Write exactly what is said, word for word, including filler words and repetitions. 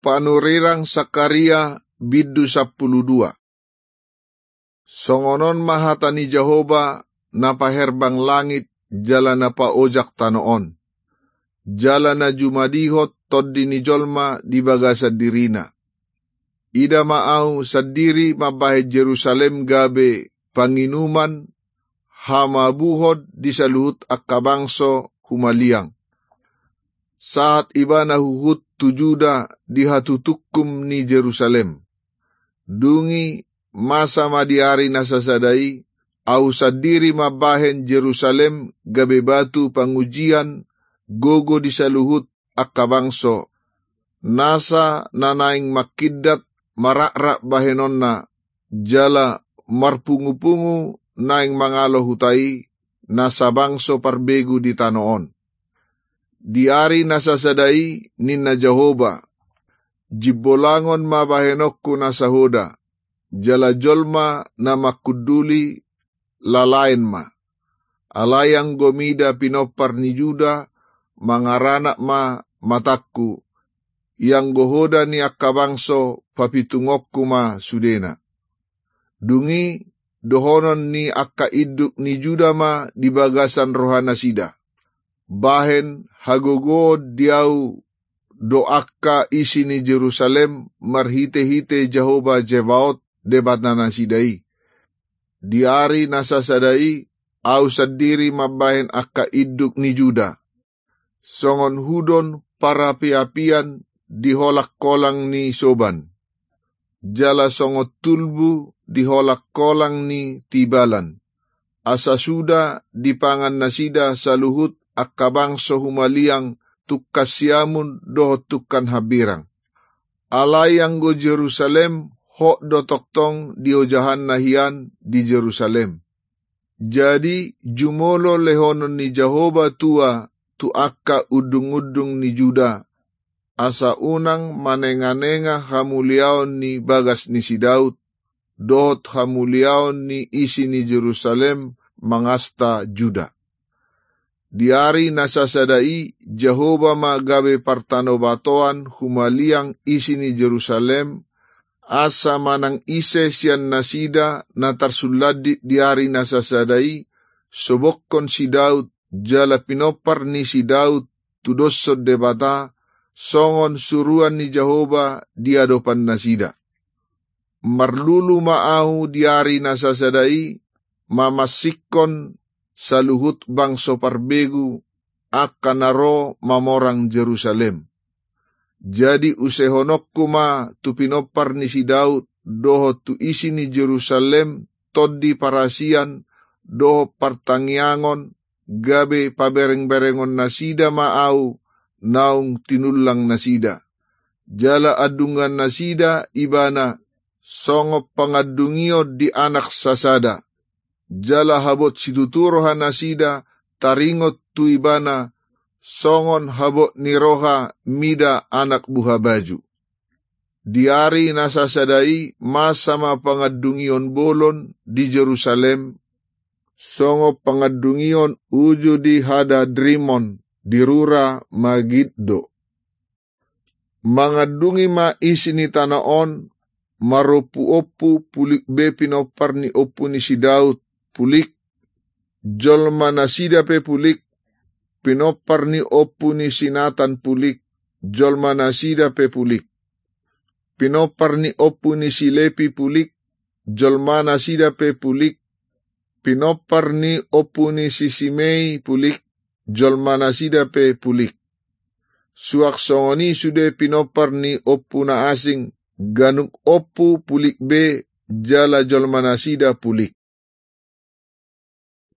Panurirang Sakaria bindu sampulu dua. Songon on ma hata ni Jahowa na paherbang langit jala na paojak tano on, jala na jumadihon tondi ni jolma di bagasan dirina. Ida ma ahu sandiri mambahen Jerusalem gabe panginuman hamabuhon di saluhut angka bangso humaliang. Sahat ibana huhut tu Juda di hatutungkum ni Jerusalem. Dung i masa ma di ari na sasada i, ahu sandiri mambahen Jerusalem gabe batu pangujian gogo di saluhut angka bangso, nasa na naeng mangkindat marakrak bahenonna, jala marpungupungu naeng mangalo huta i, nasa bangso parbegu di tano on. Di ari na sasada i ninna Jahowa, jimbolangon ma bahenonku na sahoda, jala jolma na mangkunduli lalaen ma. Alai anggo mida pinompar ni Juda, mangaranak ma matangku, ianggo hoda ni angka bangso papitungonku ma sudena. Dung i dohonon ni angka induk ni Juda ma di bagasan rohanasida, bahen hagogoon di ahu do angka isi ni Jerusalem marhitehite Jahowa Zebaot Debatanasida i. Di ari na sasada i ahu sandiri mambahen angka induk ni Juda, songon hudon parapiapian di holangkolang ni soban, jala songon tulbu di holangkolang ni tibalan, asa suda dipangan nasida saluhut angka bangso humaliang tungkan siamun dohot tungkan hambirang. Alai anggo Jerusalem, hot do tongtong diojahanna hian di Jerusalem. Jadi jumolo lehonon ni Jahowa tua tu angka undungundung ni Juda, asa unang manenganenga hamuliaon ni bagas ni si Daud, dohot hamuliaon ni isi ni Jerusalem mangasta Juda. Di ari na sasada i Jahowa ma gabe partanobatoan humaliang isi ni Jerusalem, asa manang ise sian nasida na tarsulandit di ari na sasada i, sobokkon si Daud, jala pinompar ni si Daud tudoshon Debata, songon suruan ni Jahowa di adopan nasida. Marlulu ma ahu di ari na sasada i, mamansingkon saluhut bangso parbegu, angka na ro mamorang Jerusalem. Jadi usehononku ma tu pinompar ni si Daud, dohot tu isi ni Jerusalem, tondi parasian, dohot partangiangon, gabe paberengberengon nasida ma ahu naung tinullang nasida. Jala andungan nasida ibana songon pangandungion di anak sasada. Jala habot situtu roha nasida taringot tu ibana songon habot ni roha mida anak buhabaju. Di ari na sasada i masa ma pangandungion bolon di Jerusalem, songon pangandungion uju di Hadadrimon di rura Magiddo. Mangandungi ma isi ni tano on, marompuompu pulik be pinompar ni ompu ni si Daud, pulik, jolma nasida pe pulik, pinompar ni ompu ni si Natan pulik, jolma nasida pe pulik, pinompar ni ompu ni si Lepi pulik, jolma nasida pe pulik, pinompar ni ompu ni si Simei pulik, jolma nasida pe pulik. Suang songon i sude pinompar ni ompu na asing, ganup ompu pulik be, jala jolma nasida pulik.